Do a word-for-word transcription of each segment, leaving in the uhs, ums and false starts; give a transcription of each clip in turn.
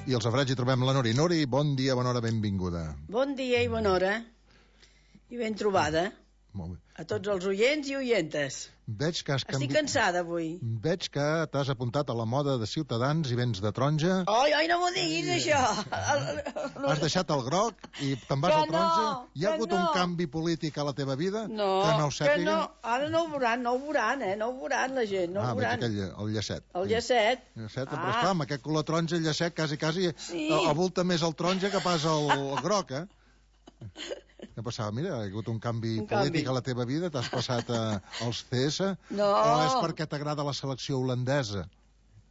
I al safareig hi trobem la Nori. Nori, bon dia, bona hora, benvinguda. Bon dia i bona hora. I ben trobada. Molt bé. A tots els oients i oientes. Veig que has canvi... Estic cansada avui. Veig que t'has apuntat a la moda de Ciutadans i vens de taronja. Ai, ai, no m'ho diguis, això. Has deixat el groc i te'n vas Que al taronja. no, Hi ha que hagut no. un canvi polític a la teva vida? No, que no ho que sàpiguen? no. Ara no ho veuran, no ho veuran, eh? No ho veuran la gent, no ah, ho veig veuran. aquell, el llacet. El llacet. El llacet, Ah. però esclar, amb aquest color taronja, el llacet quasi, quasi Sí. avulta més el taronja que pas el, el groc, eh? Què passava? Mira, ha hagut un canvi Un polític canvi. a la teva vida, t'has passat a, als C S, No. o és perquè t'agrada la selecció holandesa?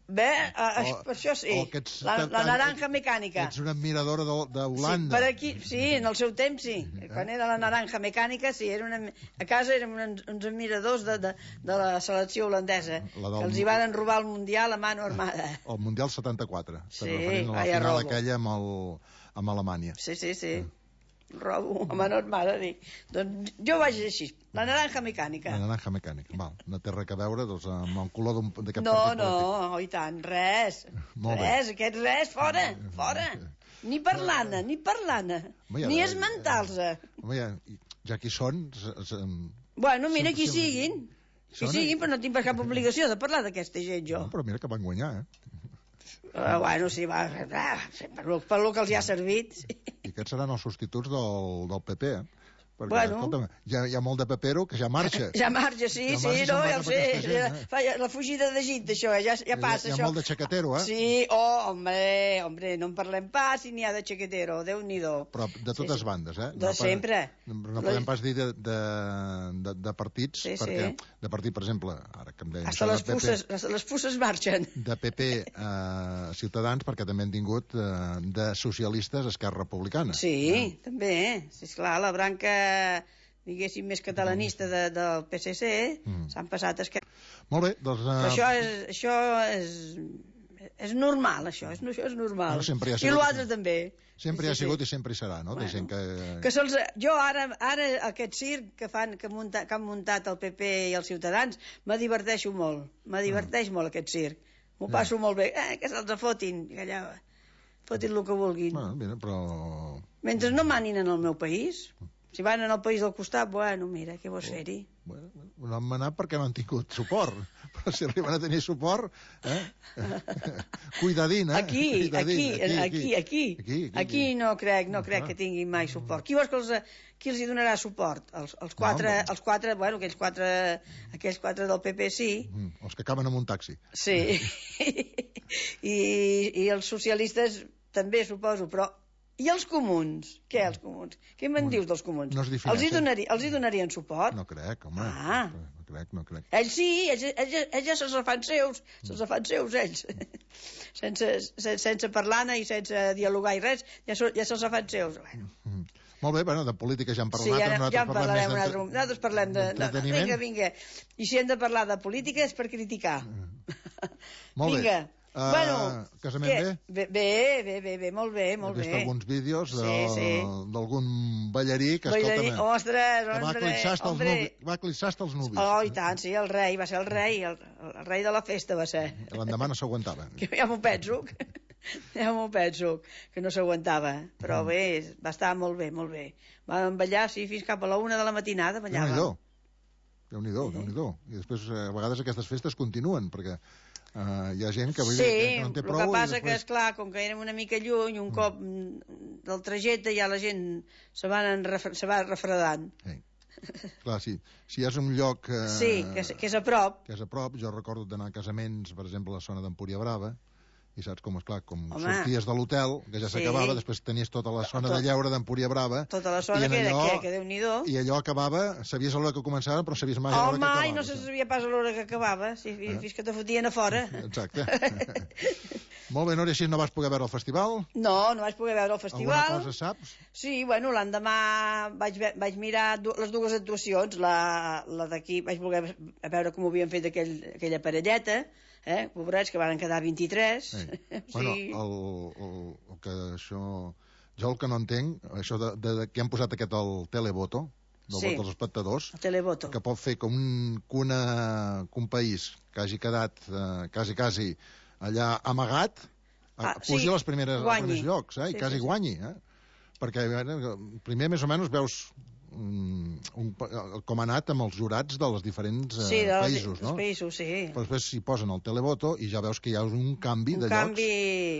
Bé, eh, O- per això sí. o que ets La, tan- la tan- naranja mecànica. Ets una admiradora Sí, d'Holanda. per aquí, sí, en el seu temps sí. Quan era la naranja mecànica, sí, era una, a casa érem uns, uns admiradors de, de, de la selecció holandesa, La del- que els hi varen robar el Mundial a mano armada. El Mundial setanta-quatre. Sí, Estem referint a la vaya final robo. aquella amb, el, amb Alemanya. Sí, sí, sí. Robo a mano armada, dic. Doncs jo vaig així, la naranja mecànica. La naranja mecànica. Val, no té res a veure doncs, amb el color d'un- d'aquest No, partit no, polític. oh, i tant, res. Molt bé. Res, aquest res, fora, fora. Ni parlant-ne, ni parlant-ne, Home, ja ni de- esmentar-se. Home, ja, ja que hi són... S, s, Bueno, mira, Sempre- qui sempre- siguin. Qui Són- siguin, però no tinc cap obligació de parlar d'aquesta gent, jo. no, però mira que van guanyar, eh? Uh, bueno, sí, va, ah, per, lo, per lo que els hi ha servit. Sí. I aquests seran els substituts del, del P P, eh? Perquè, Bueno. escolta'm, hi ha, hi ha molt de pepero que ja marxa. Ja marxa, sí, Ja sí, marxa i no, se'n va ja ho cap sé. aquesta gent, eh? Fa, la fugida d'Egipte, això, eh, ja, ja passa, hi ha, això. Hi ha molt de xaquetero, eh? Sí, oh, hombre, hombre, no en parlem pas si n'hi ha de xaquetero, Déu-n'hi-do. Però de totes Sí, sí. bandes, eh? De pa- sempre. No, no podem pas dir de, de, de, de partits, Sí, sí. perquè de partit, per exemple, ara que em deien Hasta això les de P P, pusses, les, les pusses marxen. de P P a Ciutadans, perquè també han tingut eh, de socialistes a Esquerra Republicana. Sí, també, sí, esclar, la branca, diguéssim, més catalanista de, del P S C, Mm. s'han passat... Esque... Molt bé, doncs... Eh, Però això és, això és, és normal, això, és, això és normal. Bueno, sempre hi ha I sigut- l'altre també. sempre hi ha Sí, sí. sigut i sempre hi serà, no? Bueno, de gent que... que se'ls, jo ara, ara aquest circ que fan que, munta, que han muntat el P P i els Ciutadans me diverteixo molt, me diverteix molt aquest circ, m'ho Ja. passo molt bé, eh, que se'ls fotin, que allà fotin el que vulguin. Bueno, mira, però... Mentre no manin en el meu país, si van en el país del costat, bueno, mira, què vols fer-hi? Bueno, no han manat perquè no han tingut suport, però si arriben a tenir suport, eh? Cuidadín, eh? Aquí, Cuidadín, aquí, aquí, aquí, aquí, aquí. aquí no crec, no crec Ah. que tinguin mai suport. Qui vols que els, qui els hi donarà suport? Els, els quatre, No, no. els quatre, bueno, aquells quatre, aquells quatre del P P sí, Mm, els que acaben amb un taxi. sí, i, i els socialistes també suposo, però i els comuns? Què, els comuns? Què me'n dius dels comuns? No es els, hi defineixen. donari, els hi donarien suport? No crec, home. Ah. No crec, no crec. Ells sí, ells, ells, ells ja se'ls fan seus, se'ls fan seus, ells. sense, sense, sense parlar-ne i sense dialogar i res, ja, so, ja se'ls fan seus. Bueno. Mm. Molt bé, bueno, de política ja en Sí, parlat, ara, nosaltres ja en parlem parlarem un més altre... Nosaltres parlem de... de d'entreteniment. vinga, vinga. I si hem de parlar de política és per criticar. Molt bé. Vinga. Uh, bueno, casament què? bé? Bé, bé, bé, bé, molt bé, He molt vist bé. alguns vídeos de- Sí, sí. d'algun ballarí que, Ballarí, escolta'm, ostres, que va hombre, clissar hasta els hombre. nuvis. Va clissar hasta els nuvis. Oh, i tant, sí, el rei, va ser el rei, el, el rei de la festa va ser. L'endemà no s'aguantava. Que ja m'ho penso, que- ja m'ho penso, que no s'aguantava, però Mm. bé, va estar molt bé, molt bé. Vam ballar, sí, fins cap a la una de la matinada, ballàvem. Déu-n'hi-do. Déu-n'hi-do, Déu-n'hi-do. I després, eh, a vegades, aquestes festes continuen, perquè eh, hi ha gent que, vull dir, Sí, que no en té el prou. que i passa que, després... esclar, com que érem una mica lluny, un cop mm, del trajecte ja la gent se, van refre se va refredant. Sí. Clar, sí. Si és un lloc... Eh, Sí, que és, que és a prop. que és a prop, jo recordo d'anar a casaments, per exemple, a la zona d'Empúria Brava, i saps com, esclar, com Home. sorties de l'hotel, que ja Sí. s'acabava, després tenies tota la zona Tot- de lleure d'Empúria Brava, Tota la i zona en que, allò- que, que Déu-n'hi-do. i allò acabava, sabies a l'hora que començava, però sabies mai a l'hora Home, que acabava. i no se sabia pas a l'hora que acabava, sí, Eh? fins que te fotien a fora. Exacte. Molt bé, Núria, així no vas poder veure el festival? No, no vaig poder veure el festival. Alguna cosa saps? Sí, bueno, l'endemà vaig, ve vaig mirar du les dues actuacions, la, la d'aquí vaig voler a veure com ho havien fet aquell, aquella parelleta, eh, pobrets, que van quedar vint-i-tres. Sí. O Bueno, sigui, el, el, el que això... Jo el que no entenc, això de, de, de que han posat aquest el televoto, del Sí. vot dels espectadors, el televoto. que pot fer que un, que, una, que un país que hagi quedat eh, quasi, quasi allà amagat Ah, pugi sí, a les primeres, als guanyi. primers llocs, eh? I Sí, quasi sí, sí. guanyi, eh? Perquè eh, primer més o menys veus um, un, com ha anat amb els jurats dels diferents eh, Sí, dels, països, dels no? països, sí. Però després s'hi posen el televoto i ja veus que hi ha un canvi Un de canvi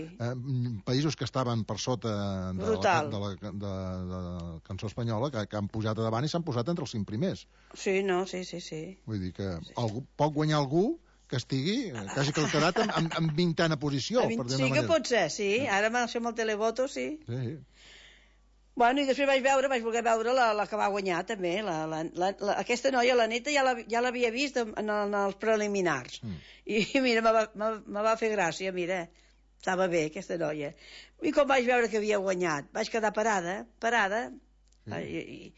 llocs. Eh, països que estaven per sota de la, brutal. de la, de, de la cançó espanyola, que, que han pujat a davant i s'han posat entre els cinc primers. Sí, no, sí, sí, sí. Vull dir que algú, pot guanyar algú que estigui, que hagi quedat en, en, en vintena posició, A vint, per dir sí una que manera. pot ser, sí. Ara amb el televoto, sí. Sí, sí. Bueno, i després vaig veure, vaig voler veure la, la que va guanyar, també. La, la, la, la, aquesta noia, la Neta, ja l'havia ja vist en, en, en els preliminars. Mm. I, i mira, me va, me, me va fer gràcia, mira. Estava bé, aquesta noia. I com vaig veure que havia guanyat, vaig quedar parada, parada, sí. I, i,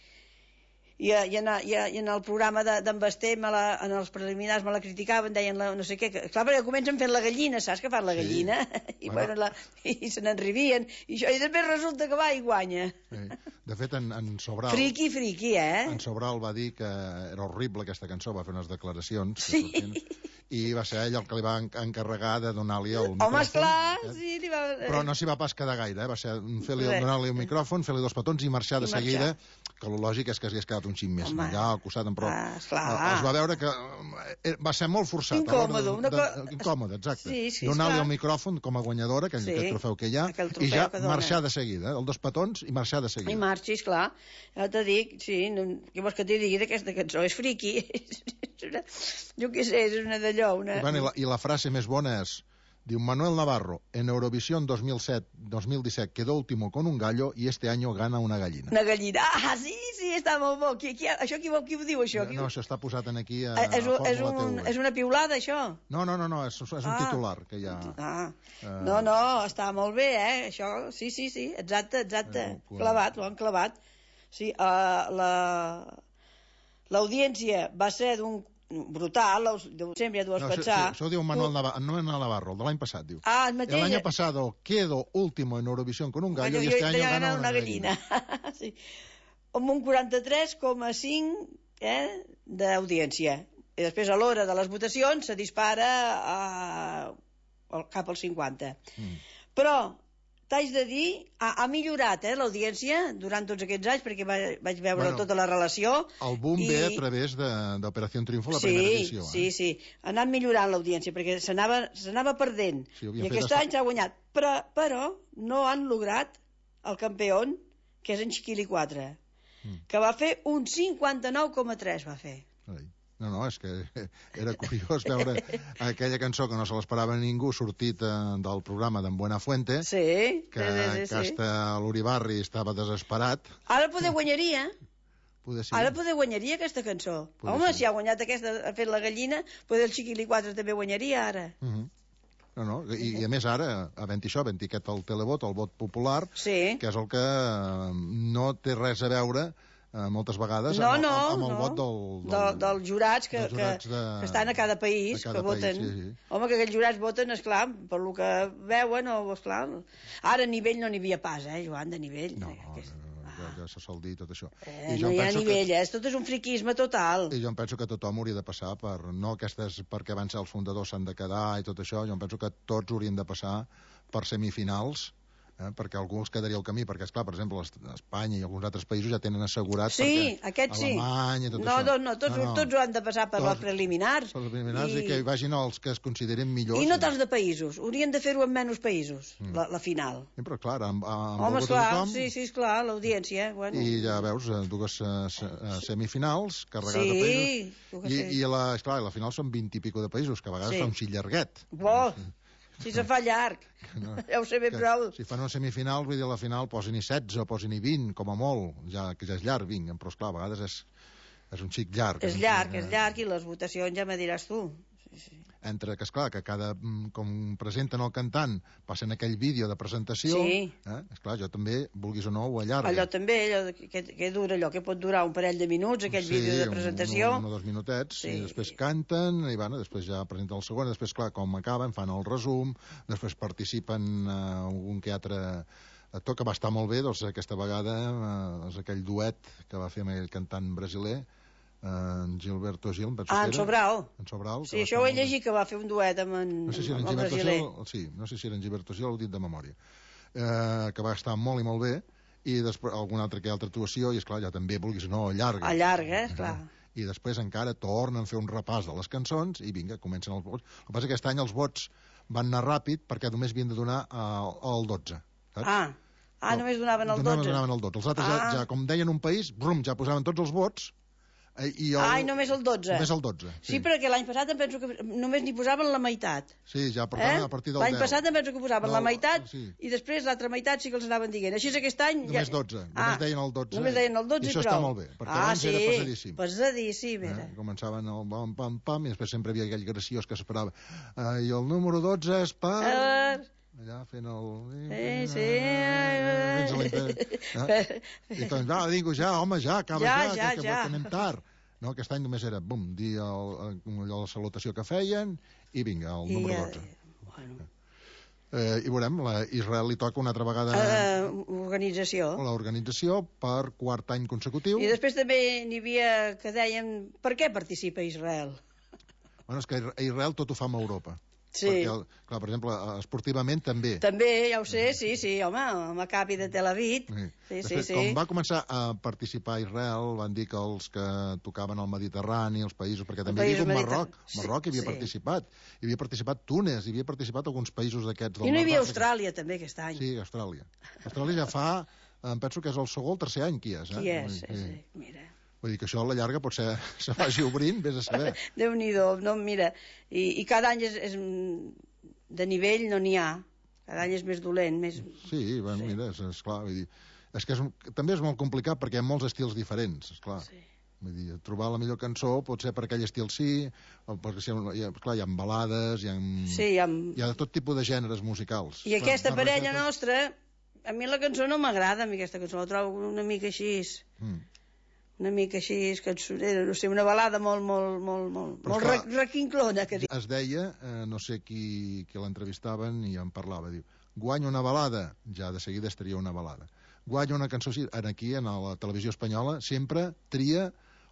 i, i, en, i, i en el programa d'en Basté, me la, en els preliminars me la criticaven, deien la, no sé què, que, clar, perquè comencen fent la gallina, saps que fan la gallina? Sí. I, bueno, la, i se n'enrivien, i, això, i després resulta que va i guanya. Sí. De fet, en, en Sobral... Friqui, friqui, eh? En Sobral va dir que era horrible aquesta cançó, va fer unes declaracions. Sí. I va ser ell el que li va encarregar de donar-li el micròfon. Home, esclar, sí. Li va... Però no s'hi va pas quedar gaire, eh? Va ser fer-li donar-li un micròfon, fer-li dos petons i marxar de I seguida, marxar. Que el lògic és que s'hagués quedat un xic més Home. allà al costat, però ah, es va veure que va ser molt forçat. Incòmode. De, de, de, incòmode, exacte. Sí, sí, donar-li el micròfon com a guanyadora, aquell, sí, aquest trofeu que hi ha, i ja marxar de seguida, el dos petons i marxar de seguida. I marxis, clar. Ja te dic, sí, no, què vols que t'hi digui d'aquesta cançó? És friqui. Jo què sé, és una d'allò. Una... I, bueno, i, la, I la frase més bona és... Diu Manuel Navarro, en Eurovisión dos mil set dos mil disset quedó último con un gallo y este año gana una gallina. Una gallina. Ah, sí, sí, està molt bo. Qui, qui, això qui, qui ho diu, això? No, això està posat en aquí a, és, a és, un, és una piulada, això? No, no, no, no és, és un ah. titular que hi ha... Ah. Uh... No, no, està molt bé, eh, això. Sí, sí, sí, exacte, exacte. Eh, clavat, ho han clavat. Sí, uh, la... l'audiència va ser d'un brutal, sempre ja t'ho vas no, pensar. Això, això ho diu Manuel Navarro, no Navarro, de l'any passat, diu. Ah, el mateix. El año pasado quedo último en Eurovisión con un gallo y este año gana una, una gallina. gallina. Sí. Amb un quaranta-tres coma cinc eh, d'audiència. I després, a l'hora de les votacions, se dispara a... cap al cinquanta. Mm. Però t'haig de dir, ha, ha millorat eh, l'audiència durant tots aquests anys, perquè va, vaig veure bueno, tota la relació. El boom i... ve a través d'Operació Triunfo, la sí, primera edició. Sí, eh? sí, sí. Ha anat millorant l'audiència, perquè s'anava perdent. Sí, I aquest any s'ha guanyat. Però, però no han lograt el campió, que és en Chiquili quatre, mm. que va fer un cinquanta-nou coma tres, va fer. Ai. No, no, és que era curiós veure aquella cançó que no se l'esperava ningú sortit eh, del programa d'en Buenafuente, sí, que, sí, sí, que sí. hasta l'Uribarri estava desesperat. Ara poder guanyaria. Poder sí. Ara poder guanyaria aquesta cançó. Poder Home, sí. si ha guanyat aquesta, ha fet la gallina, poder el Chiquili quatre també guanyaria ara. Uh -huh. No, no, i, i a més ara, havent això, havent aquest el televot, el vot popular, sí. que és el que no té res a veure Uh, moltes vegades no, amb, no, amb el no. vot del, del, del, dels jurats, que, dels jurats que, de, que estan a cada país, cada que voten. País, sí, sí. Home, que aquells jurats voten, esclar, per lo que veuen, o esclar... Ara a nivell no n'hi havia pas, eh, Joan, de nivell. No, no, que és... ja, ja se sol dir tot això. Eh, I jo no hi ha nivell, que... eh? Tot és un friquisme total. I jo em penso que tothom hauria de passar per... No aquestes perquè van ser els fundadors s'han de quedar i tot això, jo em penso que tots haurien de passar per semifinals, eh, perquè algú els quedaria al camí, perquè, esclar, per exemple, Espanya i alguns altres països ja tenen assegurat, sí, aquest sí. Alemanya i tot no, això. No, no, tots, no, no. tots ho han de passar per tots, les preliminars. Per les preliminars i... i que hi vagin els que es consideren millors. I no tants de països, haurien de fer-ho en menys països, mm. la, la final. Sí, però clar, amb, amb Home, esclar, tothom, sí, sí, esclar, l'audiència. Bueno. I ja veus, dues uh, semifinals, carregades sí, de països. I, i la, esclar, la final són vint i pico de països, que a vegades sí. fa un xic llarguet. Bo! Si se fa llarg, no, ja ho sé ben prou. Si fan una semifinal, vull dir, a la final posin-hi setze o posin-hi vint, com a molt, ja, que ja és llarg, vinc, però esclar, a vegades és, és un xic llarg. És llarg, és llarg, i les votacions ja me diràs tu. Sí, sí. Entre que, esclar, que cada, com presenten el cantant, passen aquell vídeo de presentació, sí. eh? Esclar, jo també, vulguis o no, ho allarga. Allò també, allò, que, que dura allò, que pot durar un parell de minuts, aquell sí, vídeo de presentació. Sí, un, un o dos minutets, sí. I després canten, i bueno, després ja presenten el segon, i després, clar, com acaben, fan el resum, després participen uh, un que altre actor que va estar molt bé, doncs aquesta vegada uh, és aquell duet que va fer amb aquell cantant brasiler, en Gilberto Gil, em penso Ah, que en era. Sobral. En Sobral. Sí, això ho he llegit, que va fer un duet amb en, no sé si era en amb el Gilberto brasiler. Gil, sí, no sé si era en Gilberto Gil, ho he dit de memòria, eh, que va estar molt i molt bé, i després alguna altra que altra actuació, i esclar, ja també, vulguis no, allarga. Allarga, eh, clar. I després encara tornen a fer un repàs de les cançons, i vinga, comencen els vots. El que passa és que aquest any els vots van anar ràpid, perquè només havien de donar el, el dotze, saps? Ah, ah només donaven el dotze. Donaven el dotze. Els altres, ah. ja, ja, com deien un país, brum, ja posaven tots els vots, i el... Ai, només el dotze. Només el dotze, sí. Sí, perquè l'any passat em penso que només n'hi posaven la meitat. Sí, ja, per tant, eh? a partir del L'any deu. passat em penso que posaven no, la meitat, sí. I després l'altra meitat sí que els anaven dient. Així és aquest any... Només ja... dotze, ah, només deien el dotze. Només deien el dotze i, i això prou. està molt bé, perquè ah, abans sí, era pesadíssim. pesadíssim, era. Eh? Començaven el pam, pam, pam, i després sempre hi havia aquell graciós que s'esperava. Uh, I el número dotze és per... Per... allà fent el... Sí, sí. Eh? I doncs, va, digo, ja, home, ja, acaba ja, ja, ja, que, ja. que anem tard. No, aquest any només era, bum, dir el, el, la salutació que feien i vinga, el número dotze. I, bueno. eh, I veurem, la Israel li toca una altra vegada... Uh, organització. L'organització per quart any consecutiu. I després també n'hi havia que deien per què participa Israel? Bueno, és que a Israel tot ho fa amb Europa. Sí. Perquè, clar, per exemple, esportivament també. També, ja ho sé, sí, sí, home, el Maccabi de Tel Aviv. Sí, sí, Després, sí. Com va començar a participar a Israel, van dir que els que tocaven al Mediterrani, els països, perquè també hi havia un Marroc, Marroc hi havia sí. participat, hi havia participat Túnez, hi havia participat alguns països d'aquests. I no hi havia Austràlia, també, aquest any. Sí, Austràlia. Austràlia ja fa, em penso que és el segon o tercer any que hi és. Eh? Qui és, sí, sí, mira. Vull dir que això a la llarga potser se vagi obrint, vés a saber. Déu-n'hi-do, no, mira, i, i cada any és, és de nivell no n'hi ha, cada any és més dolent, més... Sí, bueno, sí. Mira, és, és clar, vull dir, és que és, també és molt complicat perquè hi ha molts estils diferents, és clar. Sí. Vull dir, trobar la millor cançó pot ser per aquell estil sí, o perquè si, hi ha, clar, hi ha balades, hi ha, sí, hi ha... hi ha tot tipus de gèneres musicals. I clar, aquesta parella nostra, a mi la cançó no m'agrada, a mi aquesta cançó, la trobo una mica així... Mm. una mica així, cançonera, no sé, una balada molt, molt, molt, molt, molt clar, requinclona. Que es deia, eh, no sé qui, qui l'entrevistaven i en parlava, diu, guanya una balada, ja de seguida estaria una balada. Guanya una cançó, aquí, en la televisió espanyola, sempre tria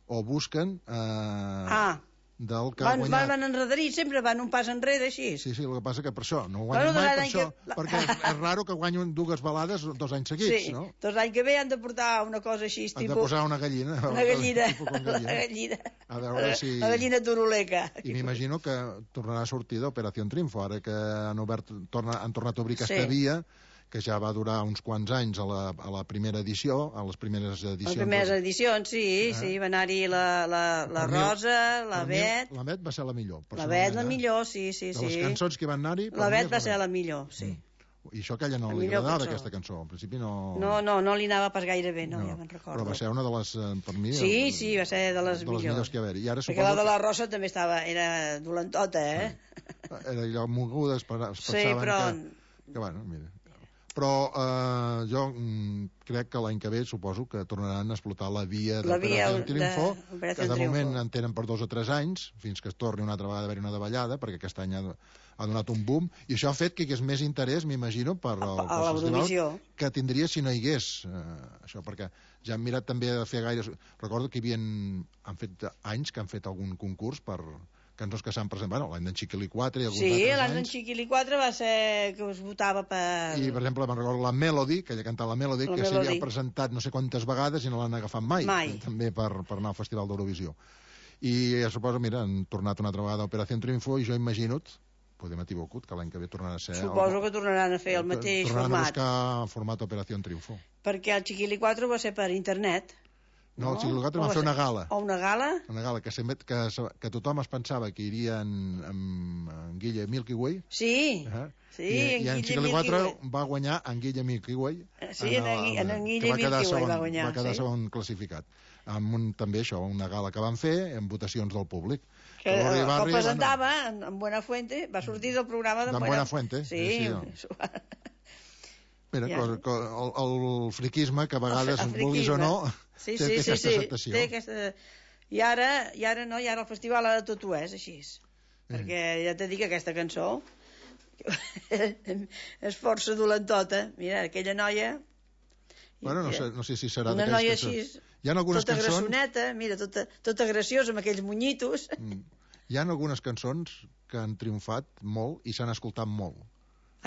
o busquen... Eh, ah, del que van, ha guanyat. Van enrederir, sempre van un pas enrere, així. Sí, sí, el que passa que per això, no guanyen bueno, mai per això, que... perquè és, és raro que guanyin dues balades dos anys seguits, sí, no? Sí, dos anys que ve han de portar una cosa així, han tipus... de posar una gallina. Una gallina, gallina. la gallina. A veure si... La gallina turuleca. I m'imagino que tornarà a sortir d'Operació Triunfo, ara que han, obert, torna, han tornat a obrir aquesta sí. via, que ja va durar uns quants anys a la, a la primera edició, a les primeres edicions. Les primeres edicions, sí, eh? sí, va anar-hi la, la, la Rosa, la Bet... La Bet va ser la millor. La Bet la millor, sí, sí, sí. De les cançons que van anar-hi... La Bet va ser la millor, sí. Mm. I això que a ella no li agradava, cançó. Aquesta cançó. Al principi no... No, no, no li anava pas gaire bé, no, no. Ja me'n recordo. Però va ser una de les, per mi... Sí, el, sí, va ser de les, de les millors que hi havia. I ara perquè la de la Rosa també estava... Era dolentota, eh? Sí. Era allò moguda, es pensaven sí, però... que... Que, bueno, mira... Però eh, jo mm, crec que l'any que ve suposo que tornaran a explotar la via d'Operació Triunfo, de... que de moment en tenen per dos o tres anys, fins que es torni una altra vegada a haver una davallada, perquè aquest any ha, ha donat un boom, i això ha fet que hi hagués més interès, m'imagino, per el, a l'Eurovisió que tindria si no hi hagués eh, això, perquè ja hem mirat també de fer gaires... Recordo que hi havia, han fet anys que han fet algun concurs per... cançons que s'han presentat, bueno, l'any d'en Chiquilicuatre i alguns sí, altres anys. Sí, l'any d'en Chiquilicuatre va ser que us votava per... I, per exemple, me'n recordo la Melody, que ella cantava la Melody, la que s'havia presentat no sé quantes vegades i no l'han agafat mai, mai. també per, per anar al Festival d'Eurovisió. I ja suposo, mira, han tornat una altra vegada a Operació Triunfo i jo imagino, podem equivocut, que l'any que ve tornarà a ser... Suposo el... que tornaran a fer el mateix tornaran format. Tornaran a buscar el format Operació Triunfo. Perquè el Chiquilicuatre va ser per internet. No, el Chiquilicuatre va fer una gala. O una gala? Una gala, que, que, que tothom es pensava que iria en, en, en Guille Milky Way. Sí, uh -huh. sí, I, en i en Chiquilicuatre va guanyar en Guille Milky Way. Sí, en, en, en, en Guille Milky Way segon, va guanyar. Va quedar sí. segon classificat. Amb un, també això, una gala que van fer, amb votacions del públic. Que el, el presentava en, en Buenafuente, va sortir del programa de Buenafuente. Sí, sí, sí. Mira, ja. el, el friquisme, que a vegades, vulguis o no, sí, té, sí, té sí, aquesta sí, acceptació. Té aquesta... I ara, i ara no, i ara el festival ara tot ho és així. Mm. Perquè ja t'he dit que aquesta cançó és força dolentota. Mira, aquella noia... Bueno, no sé, no sé si serà una noia que... així... Hi ha algunes tota cançons... grassoneta, mira, tota, tota graciosa amb aquells monyitos. Mm. Hi ha algunes cançons que han triomfat molt i s'han escoltat molt.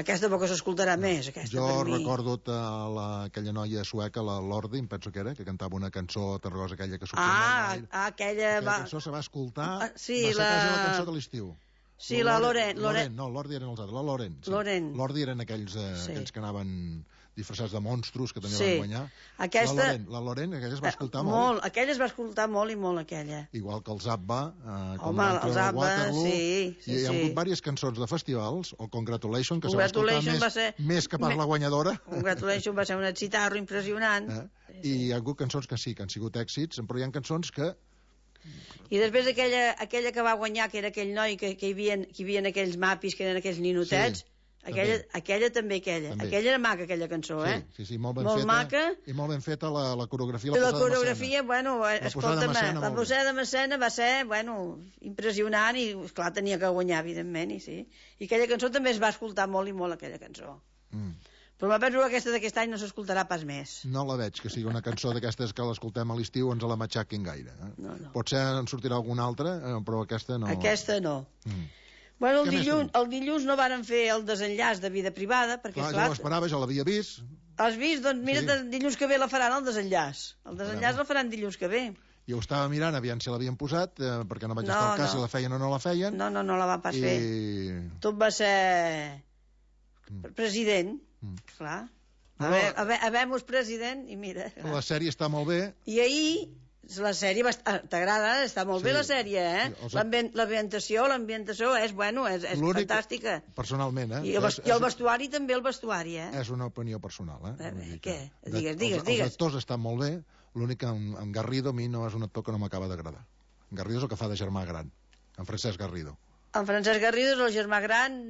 Aquesta poc s'escoltarà no. més, aquesta, jo per mi. recordo la, aquella noia sueca, la Lordi, em penso que era, que cantava una cançó tarragosa, aquella que sortia ah, molt ah, aquella, aquella va... cançó se va escoltar, ah, sí, va ser la... quasi la cançó de l'estiu. Sí, la Loren. Loren, no, l'Ordi eren els altres, la Loren. Sí. Loren. L'Ordi eren aquells, eh, sí. aquells que anaven disfressats de monstros, que també sí. van guanyar. Aquesta... La Loren, la Loren, aquella es va escoltar eh, molt. molt. Aquella es va escoltar molt i molt, aquella. Igual que el Zabba, eh, com Home, el Zabba, Waterloo, sí, sí, i hi ha hagut sí. diverses cançons de festivals, o Congratulation, que Congratulation se va escoltar més, ser... més que per la guanyadora. Congratulation va ser un excitarro impressionant. Eh? Sí, sí. I hi ha hagut cançons que sí, que han sigut èxits, però hi ha cançons que... I després aquella, aquella que va guanyar, que era aquell noi que, que, hi havia, que hi havia aquells mapis, que eren aquells ninotets, sí, aquella, també. aquella també, aquella. També. Aquella era maca, aquella cançó, sí, eh? Sí, sí, molt ben molt feta. Maca. I molt ben feta la, la coreografia, la, la posada coreografia, bueno, la escolta'm, la posada de Massena va ser, bueno, impressionant i, esclar, tenia que guanyar, evidentment, i sí. I aquella cançó també es va escoltar molt i molt, aquella cançó. Mm. Però me penso que aquesta d'aquest any no s'escoltarà pas més. No la veig, que sigui una cançó d'aquestes que l'escoltem a l'estiu ens la matxaquin gaire. Eh? No, no. Potser en sortirà alguna altra, eh, però aquesta no. Aquesta no. Mm. Bueno, el dilluns, el dilluns no varen fer el desenllaç de vida privada, perquè, clar, esclar... jo l'esperava, ja l'havia vist. Has vist? Doncs mira, sí. dilluns que ve la faran, el desenllaç. El desenllaç bueno. el faran dilluns que ve. Jo ho estava mirant, aviam si l'havien posat, eh, perquè no vaig no, estar al cas no. si la feien o no la feien. No, no, no la va pas I... fer. Tot va ser... Mm. President, mm. clar... Però... Habem-nos president i mira... Clar. La sèrie està molt bé. I ahir, la sèrie... Bast... T'agrada? Està molt sí. bé la sèrie, eh? Sí, els... L'ambientació, l'ambientació és, bueno, és, és fantàstica. Personalment, eh? I el, és, I el vestuari és... també, el vestuari, eh? És una opinió personal, eh? eh bé, què? Que... Digues, digues, els, digues. Els actors estan molt bé, l'únic que en, en Garrido a mi no és un actor que no m'acaba d'agradar. En Garrido és el que fa de germà gran, en Francesc Garrido. En Francesc Garrido és el germà gran...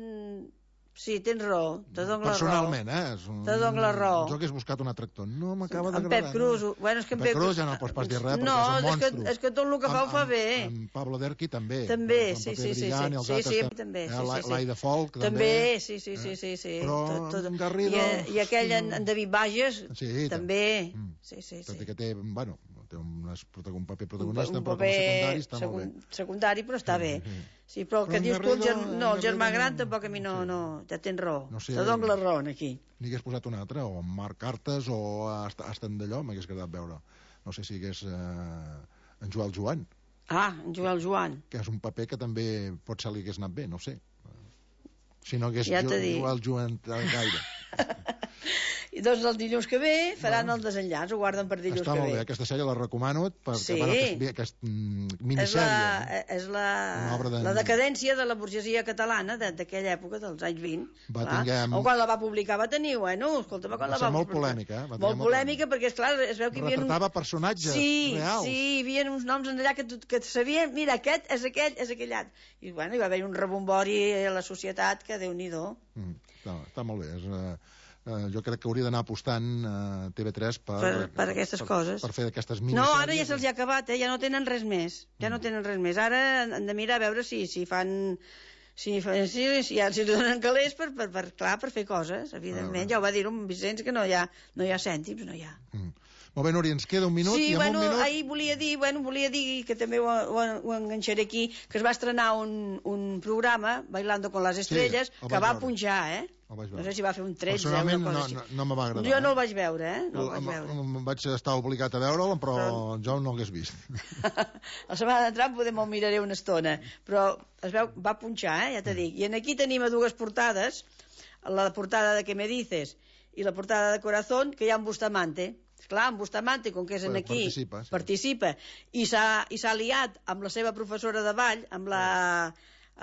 Sí, tens raó, te dono la raó. Personalment, eh? És un... Te dono la raó. Jo hagués buscat un altre actor. No m'acaba d'agradar. En Pep Cruz. No. Bueno, és que en Pep Cruz ja no pots pas dir res, no, perquè és un monstru. No, és, és que tot el que fa ho fa bé. En Pablo Derqui també. També, sí, sí, sí. Sí, sí, també. L'Aida Folk també. També, sí, sí, sí, sí. Però en Garrido... I aquell en David Bages, també. Sí, sí, sí. Tot i que té, bueno, té un paper protagonista, un però com a secundari està segun, molt bé. Secundari, però està bé. Sí, però el que dius tu, el germ... no, el germà gran tampoc a mi no, no, ja tens raó. No sé, te dono la raó aquí. N'hi hagués posat un altre, o Marc Cartes, o Aston d'allò, m'hagués agradat veure. No sé si hagués eh, en Joel Joan. Ah, en Joel Joan. Que és un paper que també potser li hagués anat bé, no sé. Si no hagués ja jo, Joel Joan gaire. I doncs el dilluns que ve faran no. el desenllaç, ho guarden per dilluns Està que ve. Està molt bé, aquesta sèrie la recomano perquè, sí. bueno, que és, que és mm, minissèrie. És la, és la, de... la decadència de la burgesia catalana d'aquella època, dels anys vint. Va tinguem... O quan la va publicar va tenir, bueno, escolta'm, quan va la va... molt polèmica, eh? Va molt polèmica, perquè, esclar, es veu que hi havia... Retratava un... personatges sí, reals. Sí, hi havia uns noms allà que, que sabien, mira, aquest és aquell, és aquell altre. I, bueno, hi va haver un rebombori a la societat que, Déu-n'hi-do. Mm, està, està molt bé, és... Uh... Uh, jo crec que hauria d'anar apostant uh, T V tres per, per, per aquestes per, coses. Per fer d'aquestes minissèries. No, ara ja se'ls ha acabat, eh? Ja no tenen res més. Ja mm. no tenen res més. Ara han de mirar a veure si, si fan... Si, si, si, ja, si donen calés per, per, per, clar, per fer coses, evidentment. Ah, ja ho va dir un Vicenç, que no hi ha, no hi ha cèntims, no hi ha. Mm. Molt bé, Núria, ens queda un minut. Sí, i bueno, un minut... ahir volia dir, bueno, volia dir, que també ho, ho, ho enganxaré aquí, que es va estrenar un, un programa, Bailando con las Estrellas, sí, que va veure. punjar, eh? No sé si va fer un tretze o una cosa no, així. No, no me va agradar. Jo eh? no el vaig veure, eh? No el vaig veure. Em vaig estar obligat a veure'l, però, però jo no l'hagués vist. La setmana d'entrar podem me'l miraré una estona, però es veu, va punxar, eh? Ja t'he dit. I en aquí tenim a dues portades, la portada de Que me dices i la portada de Corazón, que hi ha en Bustamante. Clar, en Bustamante, com que és en aquí, participa, sí. participa i s'ha liat amb la seva professora de ball, amb la,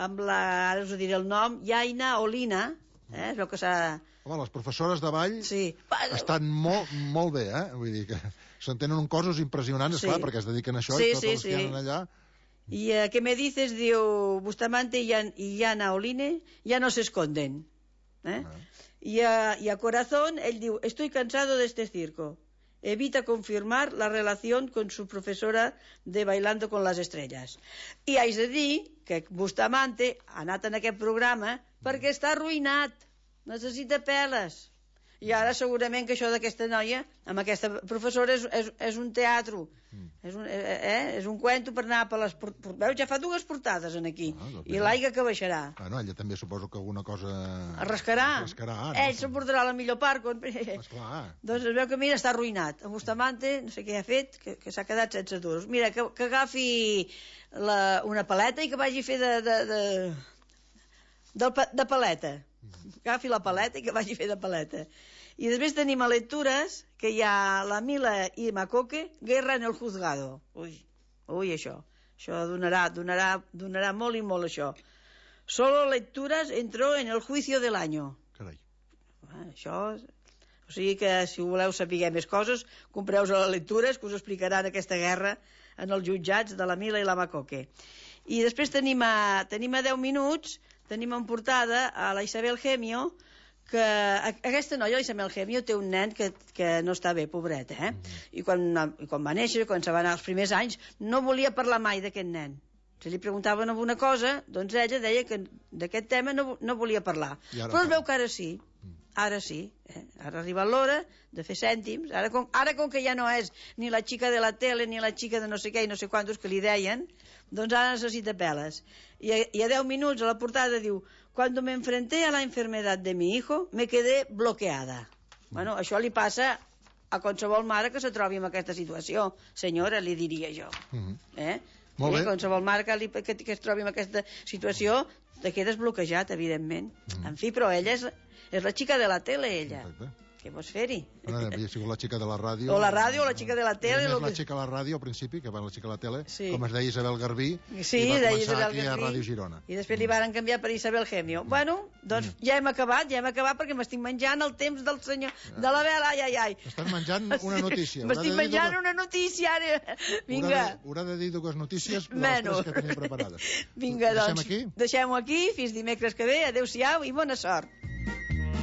amb la, ara us diré el nom, Yaina Olina, eh? Es veu que s'ha... Home, les professores de ball sí. estan molt, molt bé, eh? Vull dir que s'entenen un coses impressionants, sí. esclar, perquè es dediquen a això sí, i tots sí, els sí. que anen allà... I uh, què me dices, diu Bustamante i, i Yana Oline, ja no se esconden. Eh? Ah. I, a, I a Corazón, ell diu, estoy cansado de este circo. Evita confirmar la relación con su profesora de Bailando con las Estrellas. I haig de dir que Bustamante ha anat en aquest programa perquè està arruïnat, necessita peles. I ara segurament que això d'aquesta noia, amb aquesta professora, és, és, és un teatre, mm. és, un, eh, és un cuento per anar per les... Veus, ja fa dues portades en aquí, ah, doncs i l'aigua que baixarà. Bueno, ella també suposo que alguna cosa... Arrescarà. Arrescarà, no? Ell s'emportarà la millor part. Quan... Esclar. Doncs es veu que, mira, està arruïnat. En Bustamante, no sé què ha fet, que, que s'ha quedat sense duros. Mira, que, que agafi la, una paleta i que vagi a fer de... de, de, de, de paleta. Agafi la paleta i que vagi a fer de paleta. I després tenim a lectures que hi ha la Mila i Macoque, Guerra en el juzgado. Ui, ui, això. Això donarà, donarà, donarà molt i molt, això. Solo lecturas entró en el juicio del año. Carai. Això... O sigui que, si voleu saber més coses, compreu a les lectures, que us explicaran aquesta guerra en els jutjats de la Mila i la Macoque. I després tenim a, tenim a deu minuts, tenim en portada a la Isabel Gemio, que aquesta noia, la Isabel Gemio, té un nen que, que no està bé, pobret, eh? I quan, i quan va néixer, quan se va anar els primers anys, no volia parlar mai d'aquest nen. Si li preguntaven alguna cosa, doncs ella deia que d'aquest tema no, no volia parlar. Però es veu que ara sí. Ara sí, eh? Ara ha arribat l'hora de fer cèntims. Ara com, ara com que ja no és ni la xica de la tele ni la xica de no sé què i no sé quantos que li deien, doncs ara necessita peles. I a, i a deu minuts a la portada diu: «Cuando me enfrenté a la enfermedad de mi hijo, me quedé bloqueada». Bueno, això li passa a qualsevol mare que se trobi en aquesta situació. Senyora, li diria jo. Eh? Molt bé. Eh? Qualsevol mare que, li, que, que es trobi en aquesta situació te quedes bloquejat, evidentment. Mm. En fi, però ella és, és la xica de la tele, ella. Exacte. Què vols fer-hi? Bueno, havia sigut la xica de la ràdio. O la ràdio o la xica de la tele. Més lo la que... xica de la ràdio al principi, que va la xica de la tele, sí. Com es deia Isabel Garbí, sí, i va començar Isabel aquí Garbí, a Ràdio Girona. I després mm. li varen canviar per Isabel Gemio. Mm. Bueno, doncs mm. ja hem acabat, ja hem acabat perquè m'estic menjant el temps del senyor, ja. de la vela, ai, ai, ai. Estàs menjant una notícia. M'estic menjant dues... una notícia, ara. Vinga. Haurà de dir dues notícies de les tres que tenia preparades. Vinga, doncs, deixem aquí? Deixem-ho aquí, fins dimecres que ve, adeu-siau i bona sort.